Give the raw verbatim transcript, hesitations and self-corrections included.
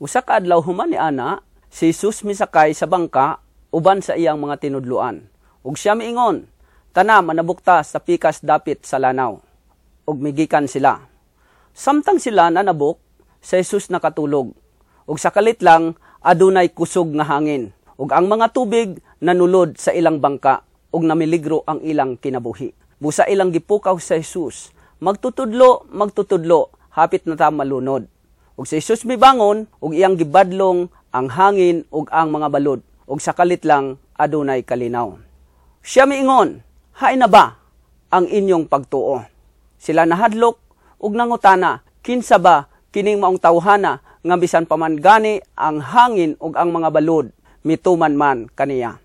Usa ka adlaw human ni ana, si Jesus misakay sa bangka uban sa iyang mga tinudloan. Ug siya miingon, "Tana manabok ta sa pikas dapit sa lanaw." Ug migikan sila. Samtang sila nanabok, si Jesus nakatulog. Ug sa kalit lang adunay kusog nga hangin. Ug ang mga tubig nanulod sa ilang bangka ug namiligro ang ilang kinabuhi. Busa ilang gipukaw sa Jesus, "Magtutudlo, magtutudlo, hapit na ta malunod." Ug si Jesus mibangon ug iyang gibadlong ang hangin ug ang mga balod ug sa kalit lang adunay kalinaw. Siya miingon, "Hain na ba ang inyong pagtuo?" Sila nahadlok ug nangutana, "Kinsa ba kining maong tawhana nga bisan pa man gani ang hangin ug ang mga balod mituman man kaniya?"